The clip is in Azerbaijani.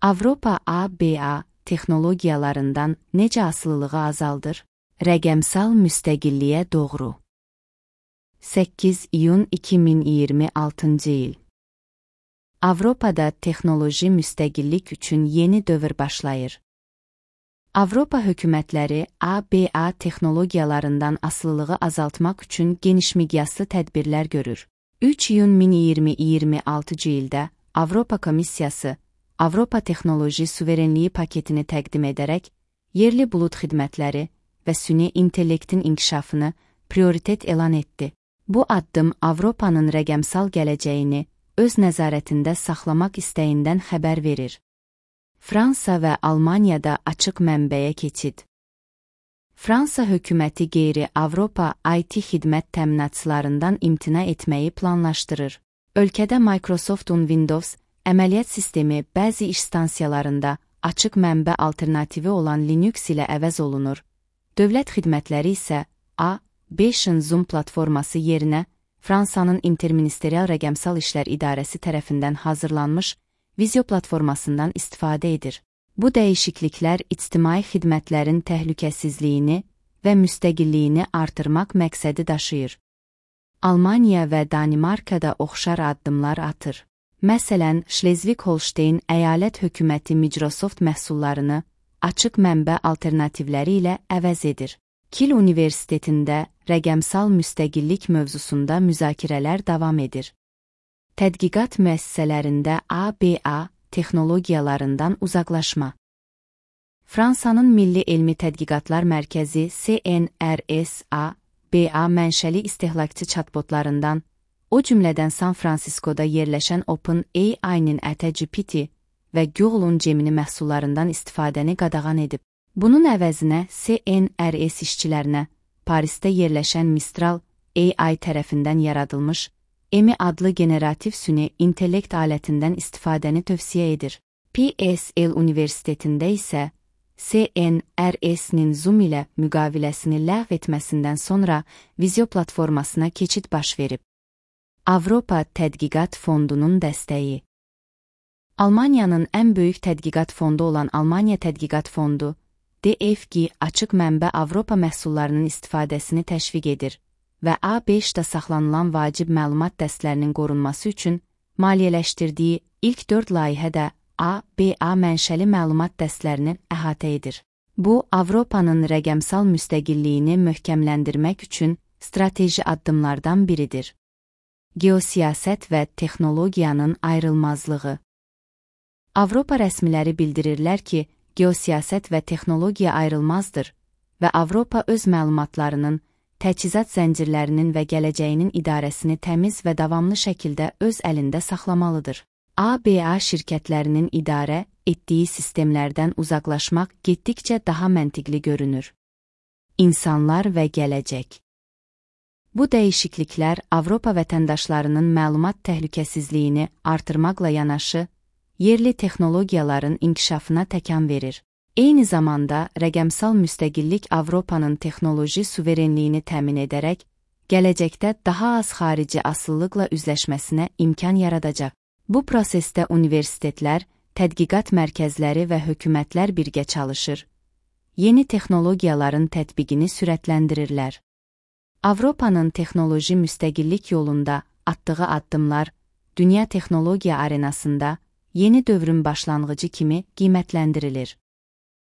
Avropa ABA texnologiyalarından necə asılılığı azaldır? Rəqəmsal müstəqilliyə doğru. 8 iyun 2026 il. Avropada texnoloji müstəqillik üçün yeni dövr başlayır. Avropa hökumətləri ABA texnologiyalarından asılılığı azaltmaq üçün geniş miqyaslı tədbirlər görür. 3 iyun 2026 ildə Avropa Komissiyası Avropa Texnoloji Suverenliyi paketini təqdim edərək, yerli bulud xidmətləri və süni intellektin inkişafını prioritet elan etdi. Bu addım Avropanın rəqəmsal gələcəyini öz nəzarətində saxlamaq istəyindən xəbər verir. Fransa və Almaniyada açıq mənbəyə keçid. Fransa hökuməti qeyri-Avropa IT xidmət təminatçılarından imtina etməyi planlaşdırır. Ölkədə Microsoft'un Windows əməliyyat sistemi bəzi iş stansiyalarında açıq mənbə alternativi olan Linux ilə əvəz olunur. Dövlət xidmətləri isə A5-in Zoom platforması yerinə Fransanın Interministerial Rəqəmsal İşlər İdarəsi tərəfindən hazırlanmış Vizio platformasından istifadə edir. Bu dəyişikliklər ictimai xidmətlərin təhlükəsizliyini və müstəqilliyini artırmaq məqsədi daşıyır. Almaniya və Danimarkada oxşar addımlar atır. Məsələn, Şlezvig-Holşteyn əyalət hökuməti Microsoft məhsullarını açıq mənbə alternativləri ilə əvəz edir. Kiel Universitetində rəqəmsal müstəqillik mövzusunda müzakirələr davam edir. Tədqiqat müəssisələrində ABA texnologiyalarından uzaqlaşma. Fransanın Milli Elmi Tədqiqatlar Mərkəzi CNRS ABA mənşəli istehlakçı chatbotlarından, o cümlədən San Franciscoda yerləşən OpenAI-nin GPT və Google-un Gemini məhsullarından istifadəni qadağan edib. Bunun əvəzinə CNRS işçilərinə Parisdə yerləşən Mistral AI tərəfindən yaradılmış EMI adlı generativ süni intellekt alətindən istifadəni tövsiyə edir. PSL Universitetində isə CNRS-nin Zoom ilə müqaviləsini ləğv etməsindən sonra Vizio platformasına keçid baş verib. Avropa Tədqiqat Fondunun dəstəyi. Almaniyanın ən böyük tədqiqat fondu olan Almaniya Tədqiqat Fondu, DFG açıq mənbə Avropa məhsullarının istifadəsini təşviq edir və A5-də saxlanılan vacib məlumat dəstlərinin qorunması üçün maliyyələşdirdiyi ilk 4 layihədə ABA mənşəli məlumat dəstlərini əhatə edir. Bu, Avropanın rəqəmsal müstəqilliyini möhkəmləndirmək üçün strateji addımlardan biridir. Geosiyasət və texnologiyanın ayrılmazlığı. Avropa rəsmiləri bildirirlər ki, geosiyasət və texnologiya ayrılmazdır və Avropa öz məlumatlarının, təchizat zəncirlərinin və gələcəyinin idarəsini təmiz və davamlı şəkildə öz əlində saxlamalıdır. ABA şirkətlərinin idarə etdiyi sistemlərdən uzaqlaşmaq getdikcə daha məntiqli görünür. İnsanlar və gələcək. Bu dəyişikliklər Avropa vətəndaşlarının məlumat təhlükəsizliyini artırmaqla yanaşı, yerli texnologiyaların inkişafına təkan verir. Eyni zamanda rəqəmsal müstəqillik Avropanın texnoloji suverenliyini təmin edərək, gələcəkdə daha az xarici asılılıqla üzləşməsinə imkan yaradacaq. Bu prosesdə universitetlər, tədqiqat mərkəzləri və hökumətlər birgə çalışır. Yeni texnologiyaların tətbiqini sürətləndirirlər. Avropanın texnoloji müstəqillik yolunda atdığı addımlar, dünya texnologiya arenasında yeni dövrün başlanğıcı kimi qiymətləndirilir.